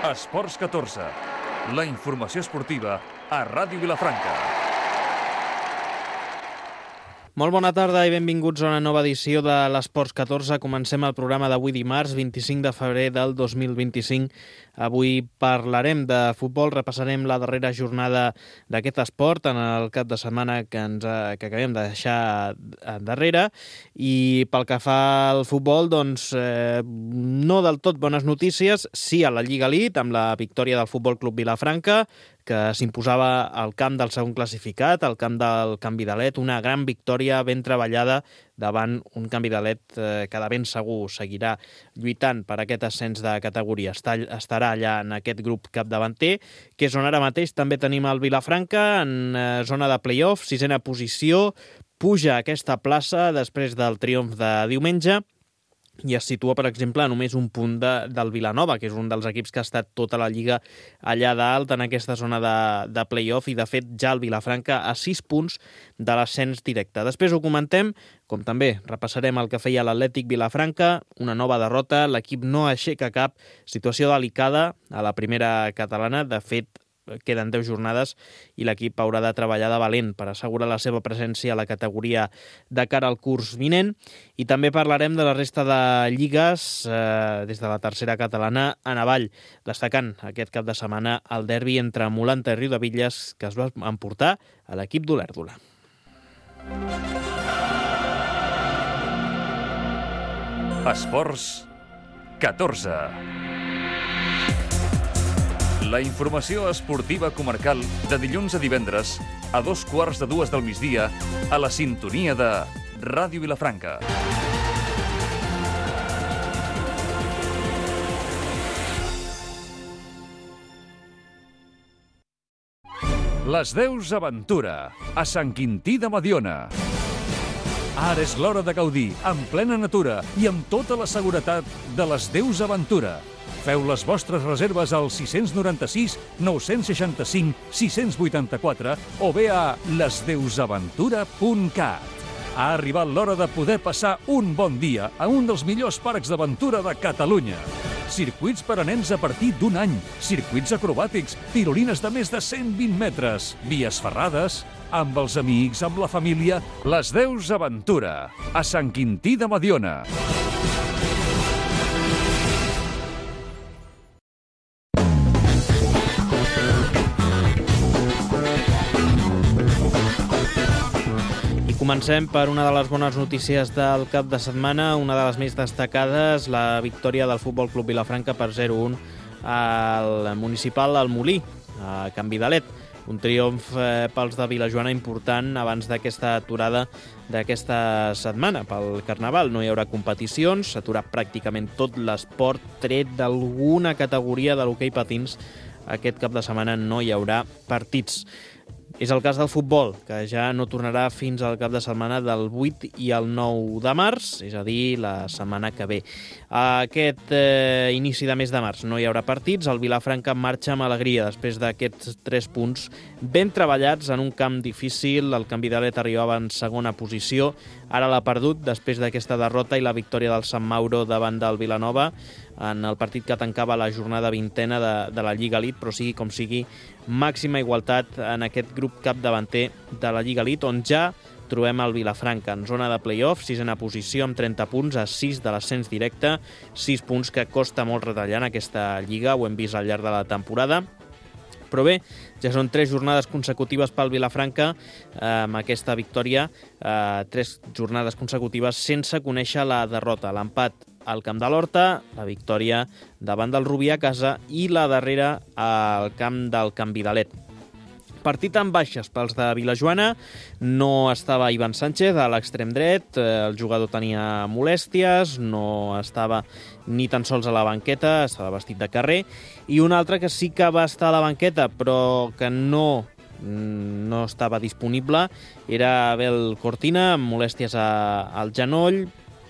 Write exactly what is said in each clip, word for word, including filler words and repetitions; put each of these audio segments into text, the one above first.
Esports catorze, la informació esportiva a Ràdio Vilafranca. Molt bona tarda i benvinguts a una nova edició de l'Esports catorze. Comencem el programa d'avui dimarts, vint-i-cinc de febrer del dos mil vint-i-cinc. Avui parlarem de futbol, repassarem la darrera jornada d'aquest esport en el cap de setmana que, ens, que acabem de deixar darrere. I pel que fa al futbol, doncs eh, no del tot bones notícies, sí a la Lliga Elite, amb la victòria del Futbol Club Vilafranca, que s'imposava al camp del segon classificat, al camp del Canvidalet, una gran victòria ben treballada davant un Canvidalet eh, que de ben segur seguirà lluitant per aquest ascens de categoria. Està, estarà allà en aquest grup capdavanter, que és on ara mateix també tenim el Vilafranca, en eh, zona de play-off, sisena posició, puja a aquesta plaça després del triomf de diumenge, i es situa, per exemple, a només un punt de, del Vilanova, que és un dels equips que ha estat tota la Lliga allà dalt en aquesta zona de, de play-off, i de fet ja el Vilafranca a sis punts de l'ascens directe. Després ho comentem, com també repassarem el que feia l'Atlètic Vilafranca, una nova derrota, l'equip no aixeca cap, situació delicada a la primera catalana, de fet queden deu jornades i l'equip haurà de treballar de valent per assegurar la seva presència a la categoria de cara al curs vinent. I també parlarem de la resta de lligues eh, des de la tercera catalana a avall, destacant aquest cap de setmana el derbi entre Molanta i Riudebitlles, que es va emportar a l'equip d'Olèrdola. Esports catorze. La informació esportiva comarcal de dilluns a divendres a dos quarts de dues del migdia a la sintonia de Ràdio Vilafranca. Les Deus Aventura, a Sant Quintí de Mediona. Ara és l'hora de gaudir, en plena natura i amb tota la seguretat de les Deus Aventura. Feu les vostres reserves al sis nou sis, nou seixanta cinc, sis vuitanta quatre o bé a les deus aventura punt cat. Ha arribat l'hora de poder passar un bon dia a un dels millors parcs d'aventura de Catalunya. Circuits per a nens a partir d'un any, circuits acrobàtics, tirolines de més de cent vint metres, vies ferrades, amb els amics, amb la família. Les Deus Aventura, a Sant Quintí de Mediona. Comencem per una de les bones notícies del cap de setmana, una de les més destacades, la victòria del Futbol Club Vilafranca per zero a un al municipal al Molí, a Canvidalet. Un triomf eh, pels de Vilajoana important abans d'aquesta aturada d'aquesta setmana pel Carnaval. No hi haurà competicions, s'atura pràcticament tot l'esport, tret d'alguna categoria de l'hoquei patins. Aquest cap de setmana no hi haurà partits. És el cas del futbol, que ja no tornarà fins al cap de setmana del vuit i el nou de març, és a dir, la setmana que ve. Aquest eh, inici de mes de març no hi haurà partits, el Vilafranca marxa amb alegria després d'aquests tres punts ben treballats en un camp difícil. El Canvidalet arribava en segona posició, ara l'ha perdut després d'aquesta derrota i la victòria del Sant Mauro davant del Vilanova en el partit que tancava la jornada vintena de, de la Lliga Elite, però sigui com sigui, màxima igualtat en aquest grup capdavanter de la Lliga Elite, on ja trobem el Vilafranca en zona de play-off, sisena posició amb trenta punts a sis de l'ascens directe, sis punts que costa molt retallar en aquesta Lliga, ho hem vist al llarg de la temporada. Però bé, ja són tres jornades consecutives pel Vilafranca, eh, amb aquesta victòria, eh, tres jornades consecutives sense conèixer la derrota. L'empat al Camp de l'Horta, la victòria davant del Rubí a casa i la darrera al camp del Canvidalet. Partit amb baixes pels de Vilajoana, no estava Ivan Sánchez a l'extrem dret, el jugador tenia molèsties, no estava ni tan sols a la banqueta, estava vestit de carrer, i un altre que sí que va estar a la banqueta però que no, no estava disponible era Abel Cortina, amb molèsties a, al genoll,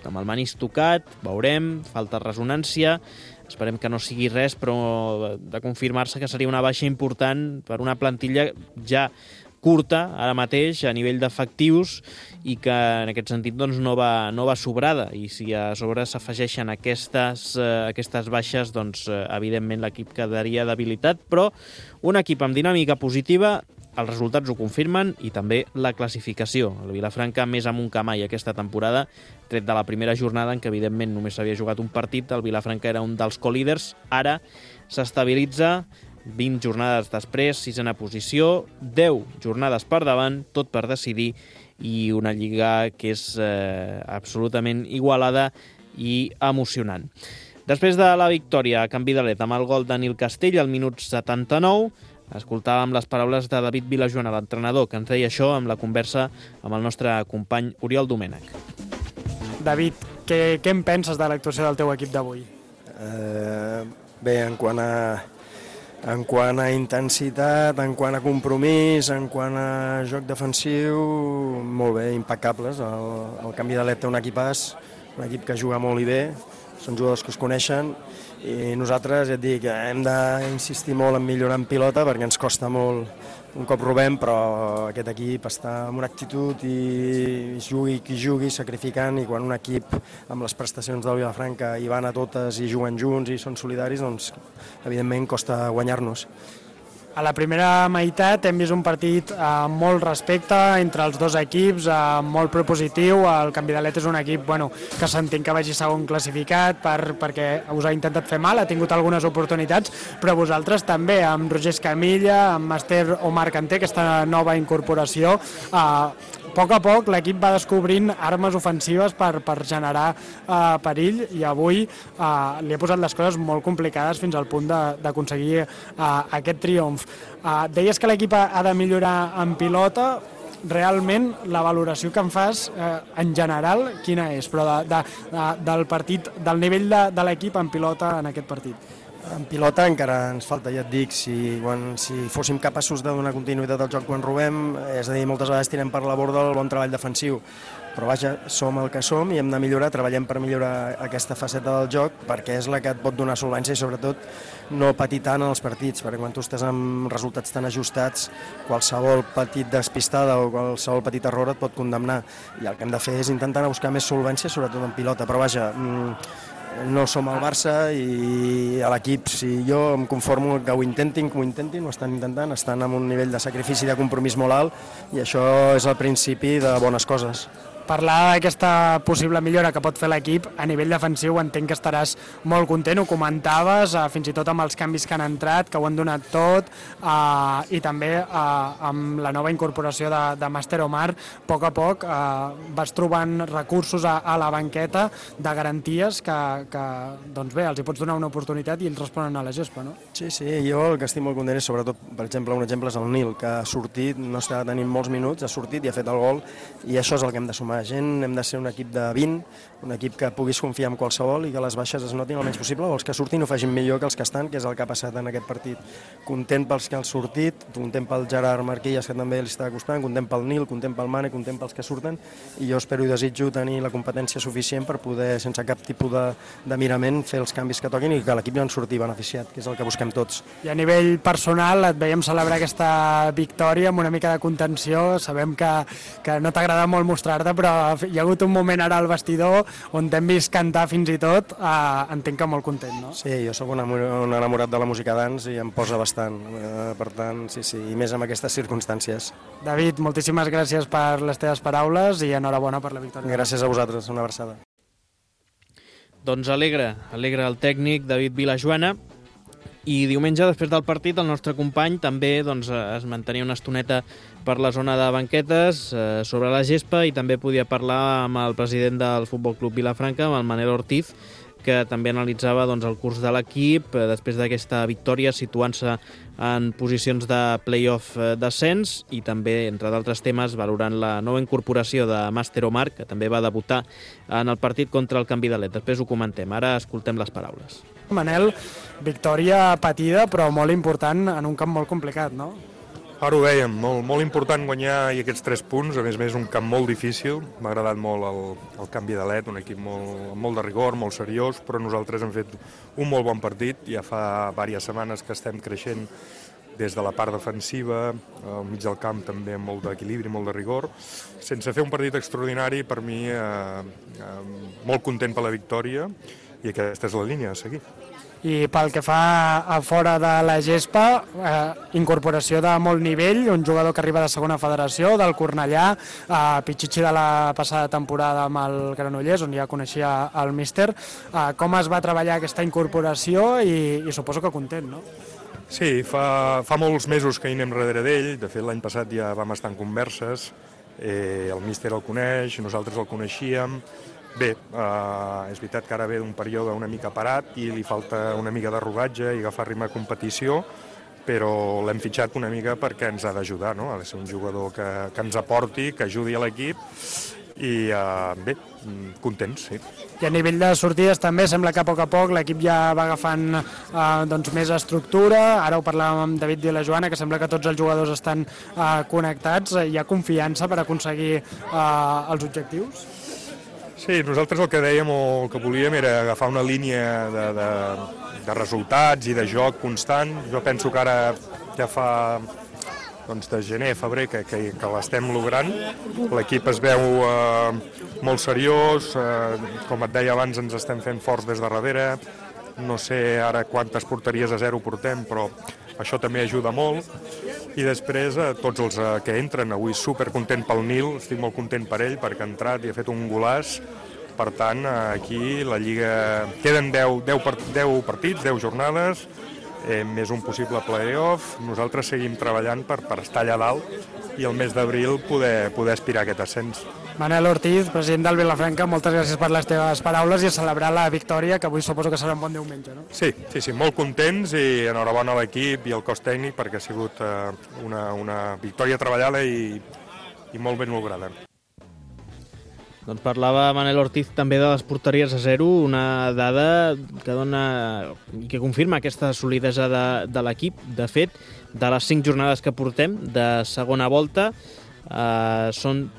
amb el menisc tocat, veurem, falta ressonància. Esperem que no sigui res, però de confirmar-se que seria una baixa important per una plantilla ja curta ara mateix a nivell d'efectius i que en aquest sentit doncs, no, va, no va sobrada, i si a sobre s'afegeixen aquestes, eh, aquestes baixes, doncs eh, evidentment l'equip quedaria debilitat, però un equip amb dinàmica positiva, els resultats ho confirmen, i també la classificació. El Vilafranca més amunt que mai aquesta temporada, tret de la primera jornada en què evidentment només s'havia jugat un partit, el Vilafranca era un dels co-líders, ara s'estabilitza vint jornades després, sisena posició, deu jornades per davant, tot per decidir, i una lliga que és eh, absolutament igualada i emocionant. Després de la victòria a Can Vidalet amb el gol de Nil Castell al minut setanta-nou, escoltàvem les paraules de David Vilajoana, l'entrenador, que ens deia això amb la conversa amb el nostre company Oriol Domènech. David, què, què en penses de l'actuació del teu equip d'avui? Eh, bé, en quant a en quant a intensitat, en quant a compromís, en quant a joc defensiu, molt bé, impecables. El, el Can Vidalet té un equipàs, un equip que juga molt i bé, són jugadors que es coneixen, i nosaltres, ja et dic, hem d'insistir molt en millorar en pilota perquè ens costa molt un cop robem, però aquest equip està amb una actitud i jugui qui jugui, sacrificant, i quan un equip amb les prestacions del Vilafranca hi van a totes i juguen junts i són solidaris, doncs evidentment costa guanyar-nos. A la primera meitat hem vist un partit amb molt respecte entre els dos equips, molt propositiu. El Can Vidalet és un equip bueno, que s'entén que vagi segon classificat per, perquè us ha intentat fer mal, ha tingut algunes oportunitats, però vosaltres també, amb Roger Escamilla, amb Master Omar Kanté, aquesta nova incorporació, eh, a poc a poc l'equip va descobrint armes ofensives per, per generar eh, perill, i avui eh, li ha posat les coses molt complicades fins al punt d'aconseguir eh, aquest triomf. Uh, deies que l'equip ha de millorar en pilota. Realment la valoració que en fas eh, en general quina és, però de, de, de, del partit, del nivell de, de l'equip en pilota en aquest partit? En pilota encara ens falta, ja et dic, si, quan, si fóssim capaços de donar continuïtat al joc quan robem, és a dir, moltes vegades tirem per la borda el bon treball defensiu, però vaja, som el que som i hem de millorar, treballem per millorar aquesta faceta del joc perquè és la que et pot donar solvència i sobretot no patir tant en els partits, perquè quan tu estàs amb resultats tan ajustats, qualsevol petit despistada o qualsevol petit error et pot condemnar, i el que hem de fer és intentar anar a buscar més solvència, sobretot en pilota, però vaja, no som el Barça i a l'equip, si jo em conformo que ho intentin, que ho intentin, ho estan intentant, estan amb un nivell de sacrifici i de compromís molt alt i això és el principi de bones coses. Parlar d'aquesta possible millora que pot fer l'equip a nivell defensiu, entenc que estaràs molt content, ho comentaves, eh, fins i tot amb els canvis que han entrat, que ho han donat tot, eh, i també eh, amb la nova incorporació de, de Master Omar, a poc a poc eh, vas trobant recursos a, a la banqueta de garanties que, que doncs bé, els hi pots donar una oportunitat i ells responen a la gespa, no? Sí, sí, jo el que estic molt content és sobretot, per exemple, un exemple és el Nil, que ha sortit, no està tenint molts minuts, ha sortit i ha fet el gol, i això és el que hem de sumar. Gent, hem de ser un equip de vint, un equip que puguis confiar en qualsevol i que les baixes es notin el menys possible, o els que surtin ho facin millor que els que estan, que és el que ha passat en aquest partit. Content pels que han sortit, content pel Gerard Marquillas, que també li està costant, content pel Nil, content pel Mane, content pels que surten, i jo espero i desitjo tenir la competència suficient per poder, sense cap tipus de, de mirament, fer els canvis que toquin i que l'equip ja en surti beneficiat, que és el que busquem tots. I a nivell personal et veiem celebrar aquesta victòria amb una mica de contenció, sabem que, que no t'agrada molt mostrar-te, però hi ha hagut un moment ara al vestidor on t'hem vist cantar fins i tot, eh, entenc que molt content, no? Sí, jo sóc un enamorat de la música dance i em posa bastant, eh, per tant, sí, sí, i més en aquestes circumstàncies. David, moltíssimes gràcies per les teves paraules i enhorabona per la victòria. Gràcies a vosaltres, una abraçada. Doncs alegra, alegra el tècnic David Vilajoana. I diumenge, després del partit, el nostre company també doncs, es mantenia una estoneta per la zona de banquetes eh, sobre la gespa, i també podia parlar amb el president del Futbol Club Vilafranca, amb el Manel Ortiz, que també analitzava doncs, el curs de l'equip eh, després d'aquesta victòria, situant-se en posicions de play-off eh, d'ascens, i també, entre d'altres temes, valorant la nova incorporació de Master Omar, que també va debutar en el partit contra el Can Vidalet. Després ho comentem, ara escoltem les paraules. Manel, victòria patida però molt important en un camp molt complicat, no? Ara ho dèiem, molt, molt important guanyar i aquests tres punts, a més a més un camp molt difícil, m'ha agradat molt el, el Can Vidalet, un equip molt, molt de rigor, molt seriós, però nosaltres hem fet un molt bon partit, ja fa diverses setmanes que estem creixent des de la part defensiva, al mig del camp també amb molt d'equilibri, molt de rigor, sense fer un partit extraordinari. Per mi eh, eh, molt content per la victòria i aquesta és la línia a seguir. I pel que fa a fora de la gespa, eh, incorporació de molt nivell, un jugador que arriba de segona federació, del Cornellà, eh, Pichichi de la passada temporada amb el Granollers, on ja coneixia el míster. Eh, com es va treballar aquesta incorporació i, i suposo que content, no? Sí, fa, fa molts mesos que hi anem darrere d'ell. De fet, l'any passat ja vam estar en converses. Eh, el míster el coneix, nosaltres el coneixíem. Bé, eh, és veritat que ara ve d'un període una mica parat i li falta una mica de rodatge i agafar ritme de competició, però l'hem fitxat una mica perquè ens ha d'ajudar, no? Ha de ser un jugador que, que ens aporti, que ajudi a l'equip i eh, bé, contents, sí. I a nivell de sortides també sembla que a poc a poc l'equip ja va agafant eh, doncs, més estructura. Ara ho parlàvem amb David i la Joana, que sembla que tots els jugadors estan eh, connectats. Hi ha confiança per aconseguir eh, els objectius? Sí, nosaltres el que dèiem o el que volíem era agafar una línia de, de, de resultats i de joc constant. Jo penso que ara ja fa doncs, de gener a febrer que, que, que l'estem logrant. L'equip es veu eh, molt seriós, eh, com et deia abans ens estem fent forts des de darrere. No sé ara quantes porteries a zero portem, però això també ajuda molt. I després eh, tots els eh, que entren, avui supercontent pel Nil, estic molt content per ell perquè ha entrat i ha fet un golaç. Per tant, eh, aquí la Lliga queden deu, deu, deu partits, deu jornades, eh, més un possible play-off. Nosaltres seguim treballant per, per estar allà dalt i el mes d'abril poder, poder aspirar a aquest ascens. Manel Ortiz, president del Vilafranca, moltes gràcies per les teves paraules i a celebrar la victòria, que avui suposo que serà un bon diumenge, no? Sí, sí, sí, molt contents i enhorabona a l'equip i al cos tècnic perquè ha sigut eh, una, una victòria treballada i, i molt ben lograda. Doncs parlava Manel Ortiz també de les porteries a zero, una dada que dona i que confirma aquesta solidesa de, de l'equip. De fet, de les cinc jornades que portem de segona volta, eh, són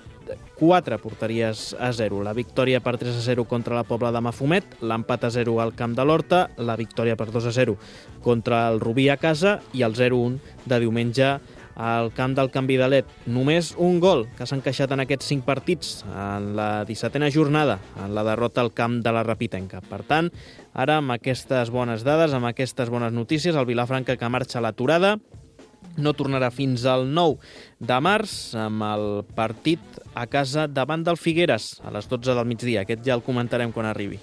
quatre porteries a zero. La victòria per tres a zero contra la Pobla de Mafumet, l'empat a zero al Camp de l'Horta, la victòria per dos a zero contra el Rubí a casa i el zero a un de diumenge al camp del Can Vidalet. Només un gol que s'ha encaixat en aquests cinc partits en la dissetena jornada, en la derrota al camp de la Rapitenca. Per tant, ara amb aquestes bones dades, amb aquestes bones notícies, el Vilafranca que marxa a l'aturada no tornarà fins al nou de març amb el partit a casa davant del Figueres a les dotze del migdia. Aquest ja el comentarem quan arribi.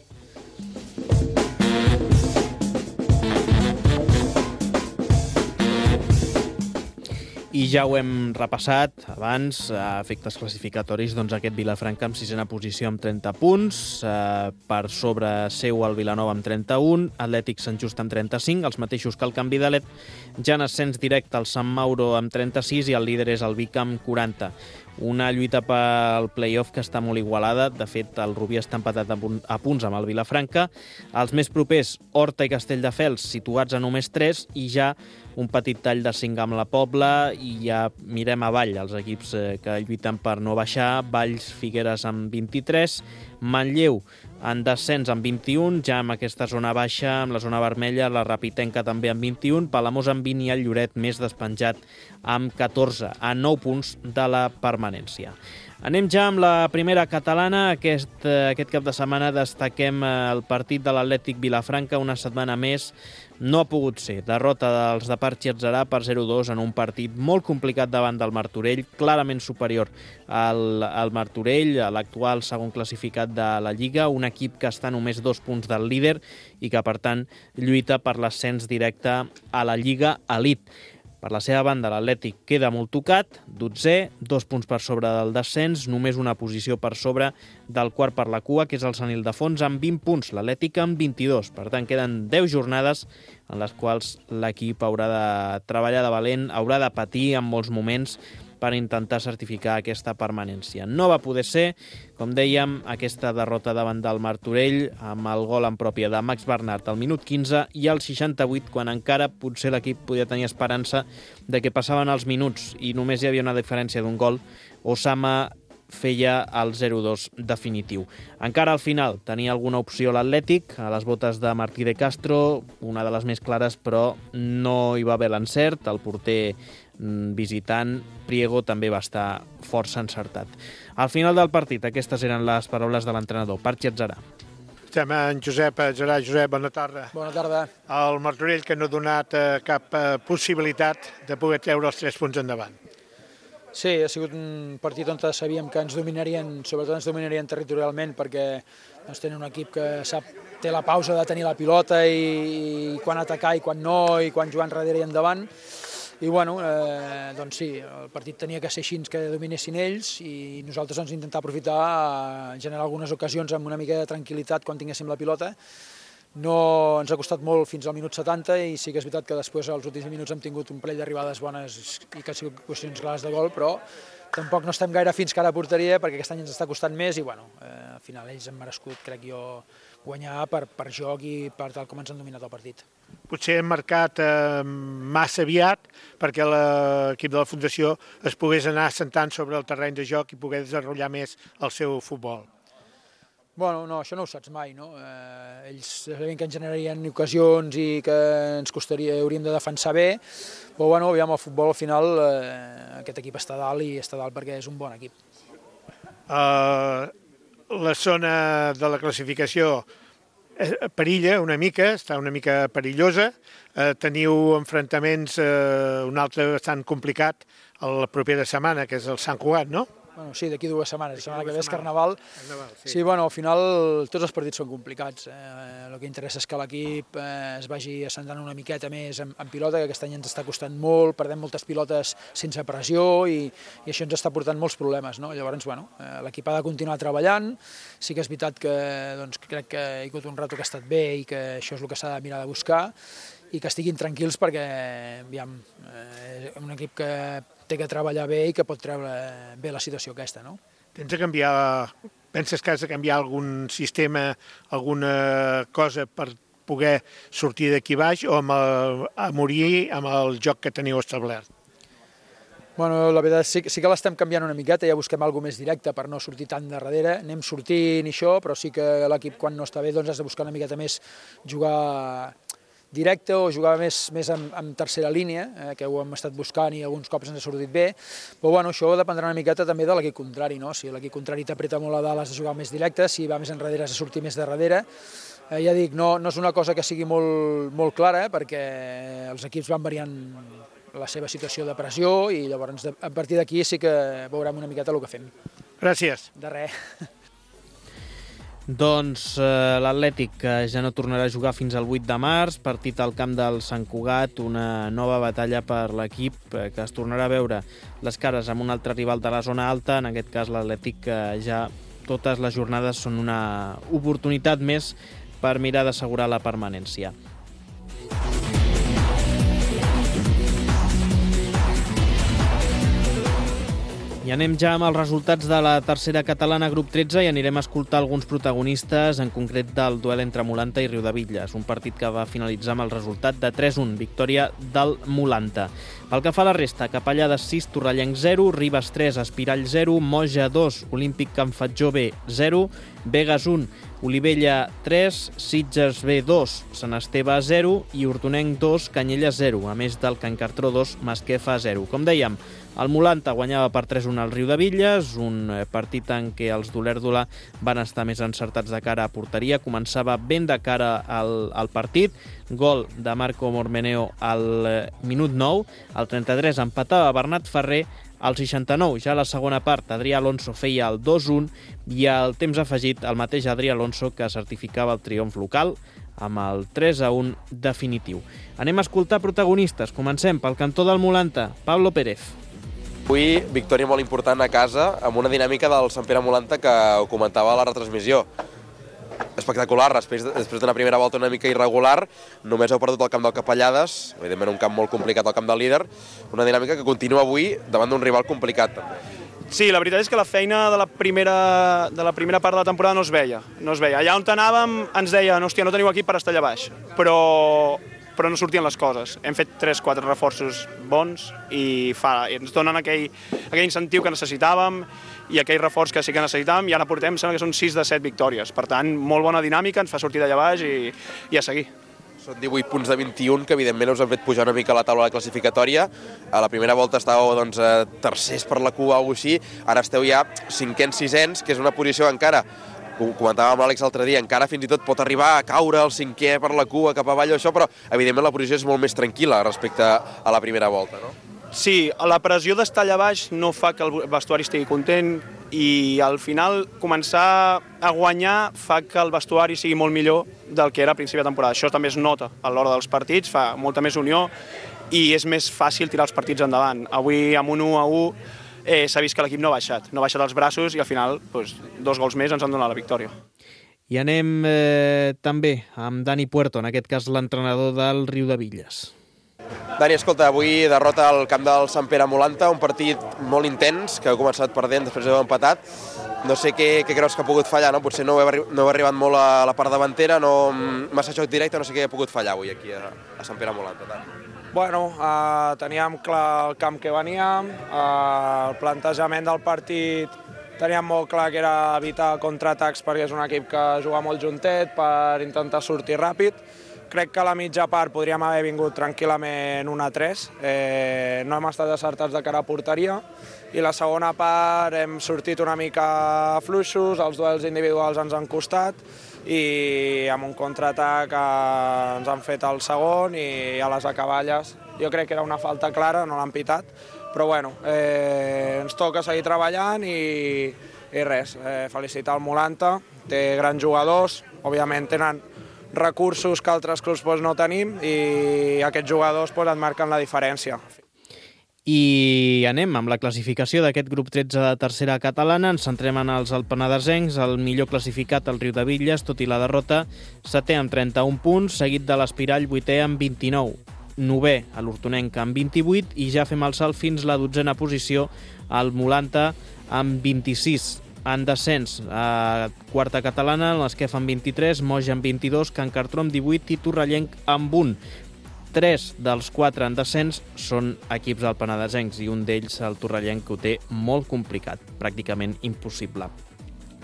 I ja ho hem repassat abans, a efectes classificatoris, doncs aquest Vilafranca amb sisena posició amb trenta punts, eh, per sobre seu el Vilanova amb trenta-un, Atlètic Sant Just amb trenta-cinc, els mateixos que el Can Vidalet, ja en ascens directe el Sant Mauro amb trenta-sis i el líder és el Vic amb quaranta. Una lluita pel play-off que està molt igualada. De fet, el Rubí està empatat a punts amb el Vilafranca. Els més propers, Horta i Castelldefels, situats a només tres, i ja un petit tall de cinc amb la Pobla, i ja mirem avall els equips que lluiten per no baixar. Valls, Figueres amb vint-i-tres, Manlleu en descens amb vint-i-un, ja amb aquesta zona baixa, amb la zona vermella, la Rapitenca també amb vint-i-un, Palamós amb vint i el Lloret més despenjat amb catorze, a nou punts de la permanència. Anem ja amb la primera catalana. Aquest, aquest cap de setmana destaquem el partit de l'Atlètic Vilafranca, una setmana més. No ha pogut ser. Derrota dels de Parc Xertzerà per zero a dos en un partit molt complicat davant del Martorell, clarament superior al, al Martorell, l'actual segon classificat de la Lliga, un equip que està només dos punts del líder i que, per tant, lluita per l'ascens directe a la Lliga Elite. Per la seva banda, l'Atlètic queda molt tocat, dotzè, dos punts per sobre del descens, només una posició per sobre del quart per la cua, que és el Sant Ildefons, amb vint punts, l'Atlètic amb vint-i-dos. Per tant, queden deu jornades en les quals l'equip haurà de treballar de valent, haurà de patir en molts moments per intentar certificar aquesta permanència. No va poder ser, com dèiem, aquesta derrota davant del Martorell amb el gol en pròpia de Max Bernat al minut quinze i al seixanta-vuit, quan encara potser l'equip podia tenir esperança de que passaven els minuts i només hi havia una diferència d'un gol. Osama feia el zero dos definitiu. Encara al final tenia alguna opció l'Atlètic, a les botes de Martí de Castro, una de les més clares, però no hi va haver l'encert. El porter visitant, Priego, també va estar força encertat. Al final del partit, aquestes eren les paraules de l'entrenador, Parchi Atzarà. Estem en Josep Atzarà. Josep, bona tarda. Bona tarda. El Martorell que no ha donat cap possibilitat de poder treure els tres punts endavant. Sí, ha sigut un partit on sabíem que ens dominarien, sobretot ens dominarien territorialment, perquè doncs, tenen un equip que sap, té la pausa de tenir la pilota i, i quan atacar i quan no, i quan jugar enrere i endavant. I bueno, eh, doncs sí, el partit tenia que ser així, que dominessin ells, i nosaltres ens intentar aprofitar a generar algunes ocasions amb una mica de tranquil·litat quan tinguéssim la pilota. No ens ha costat molt fins al minut setanta i sí que és veritat que després als últims minuts hem tingut un parell d'arribades bones i que han sigut qüestions clares de gol, però tampoc no estem gaire fins cara a porteria perquè aquest any ens està costant més i bueno, eh, al final ells han merescut, crec jo, guanyar per, per joc i per tal com ens han dominat el partit. Potser hem marcat eh, massa aviat perquè l'equip de la Fundació es pogués anar assentant sobre el terreny de joc i poder desenvolupar més el seu futbol. Bueno, no, això no ho saps mai, no? Eh, ells sabien que ens generarien ocasions i que ens costaria, hauríem de defensar bé, però bueno, aviam, el futbol al final, eh, aquest equip està dalt i està dalt perquè és un bon equip. Uh, la zona de la classificació perilla una mica, està una mica perillosa, uh, teniu enfrontaments, uh, un altre bastant complicat la propera setmana, que és el Sant Cugat, no? Bueno, sí, d'aquí dues setmanes, la setmana que ve és Carnaval. Sí. sí, bueno, al final tots els partits són complicats. Eh, el que interessa és que l'equip eh, es vagi assentant una miqueta més en, en pilota, que aquest any ens està costant molt, perdem moltes pilotes sense pressió i, i això ens està portant molts problemes, no? Llavors, bueno, eh, l'equip ha de continuar treballant. Sí que és veritat que doncs, crec que hi ha hagut un rato que ha estat bé i que això és el que s'ha de mirar de buscar i que estiguin tranquils perquè, aviam, eh, és un equip que té que treballar bé i que pot treure bé la situació aquesta, no? Tens de canviar, penses que has de canviar algun sistema, alguna cosa per poder sortir d'aquí baix o amb el, a morir amb el joc que teniu establert? Bueno, la veritat sí, sí que l'estem canviant una miqueta, ja busquem alguna més directa per no sortir tant de darrere, anem sortint i això, però sí que l'equip quan no està bé doncs has de buscar una miqueta més jugar directe o jugar més, més en, en tercera línia, eh, que ho hem estat buscant i alguns cops ens ha sortit bé, però bueno, això dependrà una miqueta també de l'equip contrari, no? Si l'equip contrari t'apreta molt a dalt has de jugar més directe, si va més enrere has de sortir més de darrere. Eh, ja dic, no, no és una cosa que sigui molt, molt clara, perquè els equips van variant la seva situació de pressió i llavors a partir d'aquí sí que veurem una miqueta el que fem. Gràcies. De res. Doncs eh, l'Atlètic que ja no tornarà a jugar fins al vuit de març, partit al camp del Sant Cugat, una nova batalla per l'equip eh, que es tornarà a veure les cares amb un altre rival de la zona alta, en aquest cas l'Atlètic que ja totes les jornades són una oportunitat més per mirar d'assegurar la permanència. I anem ja amb els resultats de la tercera catalana grup tretze i anirem a escoltar alguns protagonistes, en concret del duel entre Mulanta i Riudebitlles, un partit que va finalitzar amb el resultat de tres un, victòria del Mulanta. Pel que fa a la resta, Capellades sis, Torrellenc zero, Ribes tres, Espirall zero, Moja dos, Olímpic Can Fatjó B zero, Begues un, Olivella tres, Sitges B dos, Sant Esteve zero i Hortonenc dos, Canyelles zero, a més del Can Cartró dos, Masquefa zero. Com dèiem, el Mulanta guanyava per tres un al Riudebitlles, un partit en què els d'Olèrdola van estar més encertats de cara a porteria, començava ben de cara al, al partit, gol de Marco Mormeneo al minut nou, al trenta-tres empatava Bernat Ferrer, al seixanta-nou, ja a la segona part, Adrià Alonso feia el dos un i al temps afegit el mateix Adrià Alonso que certificava el triomf local amb el tres a un definitiu. Anem a escoltar protagonistes. Comencem pel cantó del Mulanta, Pablo Pérez. Avui, victòria molt important a casa, amb una dinàmica del Sant Pere Mulanta que ho comentava a la retransmissió. Espectacular, després, després d'una primera volta una mica irregular, només heu perdut el camp del Capellades, evidentment un camp molt complicat al camp del líder, una dinàmica que continua avui davant d'un rival complicat. Sí, la veritat és que la feina de la primera, de la primera part de la temporada no es veia. No es veia. Allà on anàvem ens deien, hòstia, no teniu equip per estar allà baix, però però no sortien les coses. Hem fet tres o quatre reforços bons i, fa, i ens donen aquell, aquell incentiu que necessitàvem i aquell reforç que sí que necessitàvem, i ara portem, sembla que són sis de set victòries. Per tant, molt bona dinàmica, ens fa sortir d'allà baix i, i a seguir. Són divuit punts de vint-i-un, que evidentment us han fet pujar una mica a la taula de classificatòria. A la primera volta estàveu doncs, tercers per la cua o alguna cosa així, ara esteu ja cinquens, sisens, que és una posició encara, ho comentàvem amb l'Àlex l'altre dia, encara fins i tot pot arribar a caure el cinquè per la cua cap avall o això, però evidentment la posició és molt més tranquil·la respecte a la primera volta, no? Sí, la pressió d'estar allà baix no fa que el vestuari estigui content i al final començar a guanyar fa que el vestuari sigui molt millor del que era a principi de temporada. Això també es nota a l'hora dels partits, fa molta més unió i és més fàcil tirar els partits endavant. Avui amb un u a u eh, s'ha vist que l'equip no ha baixat, no ha baixat els braços i al final doncs, dos gols més ens han donat la victòria. I anem eh, també amb Dani Puerto, en aquest cas l'entrenador del Riudebitlles. Dani, escolta, avui derrota al camp del Sant Pere Molanta, un partit molt intens, que ha començat perdent, després heu empatat. No sé què, què creus que ha pogut fallar, no? Potser no heu, no heu arribat molt a la part davantera, no, massa xoc directe, no sé què ha pogut fallar avui aquí a, a Sant Pere Molanta. Tant. Bueno, eh, teníem clar el camp que veníem, eh, el plantejament del partit teníem molt clar que era evitar contraatacs perquè és un equip que juga molt juntet per intentar sortir ràpid. Crec que a la mitja part podríem haver vingut tranquil·lament un a tres, eh, no hem estat acertats de cara a porteria i la segona part hem sortit una mica fluixos, els duels individuals ens han costat i amb un contraatac eh, ens han fet el segon i a les acaballes jo crec que era una falta clara, no l'han pitat, però bueno, eh, ens toca seguir treballant i, i res, eh, felicitar el Molanta, té grans jugadors, òbviament tenen recursos que altres clubs doncs, no tenim i aquests jugadors doncs, et marquen la diferència. I anem amb la classificació d'aquest grup tretze de tercera catalana. Ens centrem en els alpenadesencs, el millor classificat, el Riudebitlles, tot i la derrota, setè amb trenta-un punts, seguit de l'Espirall, vuitè amb vint-i-nou. Novè a l'Hortonenc amb vint-i-vuit i ja fem el salt fins la dotzena posició al Molanta amb vint-i-sis. En descens a quarta catalana, l'Esquef amb vint-i-tres, Moja amb vint-i-dos, Can Cartró amb divuit i Torrellenc amb un. Tres dels quatre en descens són equips alpenadesencs i un d'ells, el Torrellenc, que ho té molt complicat, pràcticament impossible.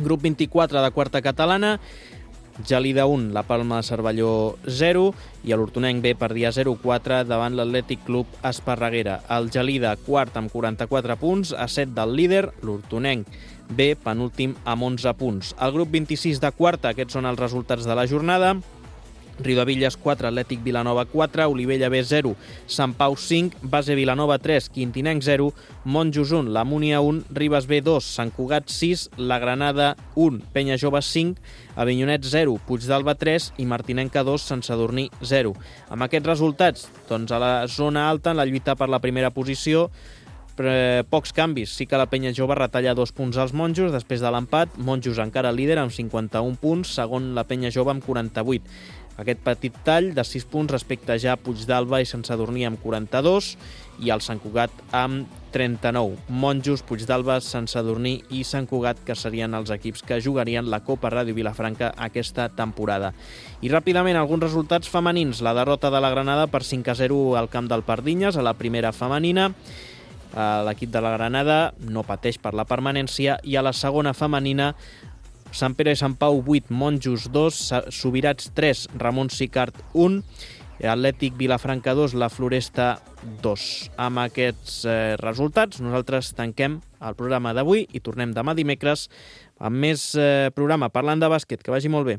Grup vint-i-quatre de quarta catalana, Gelida un, la Palma de Cervelló zero i l'Hortonenc B perdia zero quatre davant l'Atlètic Club Esparreguera. El Gelida quart amb quaranta-quatre punts, a set del líder, l'Hortonenc B penúltim amb onze punts. El grup vint-i-sis de quarta, aquests són els resultats de la jornada. Riudebitlles quatre, Atlètic Vilanova quatre, Olivella B zero, Sant Pau cinc, Base Vilanova tres, Quintinenc zero, Monjos un, la Múnia un, Ribes B dos, Sant Cugat sis, la Granada un, Penya Jove cinc, Avinyonet zero, Puigdàlber tres i Martinenca dos, Sant Sadurní zero. Amb aquests resultats, doncs a la zona alta, en la lluita per la primera posició, pocs canvis. Sí que la Penya Jove retalla dos punts als Monjos després de l'empat. Monjos encara líder amb cinquanta-un punts, segon la Penya Jove amb quaranta-vuit. Aquest petit tall de sis punts respecte ja a Puigdàlber i Sant Sadurní amb quaranta-dos i el Sant Cugat amb trenta-nou. Monjos, Puigdàlber, Sant Sadurní i Sant Cugat, que serien els equips que jugarien la Copa Ràdio Vilafranca aquesta temporada. I ràpidament alguns resultats femenins. La derrota de la Granada per cinc a zero al camp del Pardinyes, a la primera femenina. L'equip de la Granada no pateix per la permanència i a la segona femenina Sant Pere i Sant Pau vuit, Monjos dos, Subirats tres, Ramon Sicart un, Atlètic Vilafranca dos, La Floresta dos. Amb aquests eh, resultats nosaltres tanquem el programa d'avui i tornem demà dimecres amb més eh, programa parlant de bàsquet. Que vagi molt bé.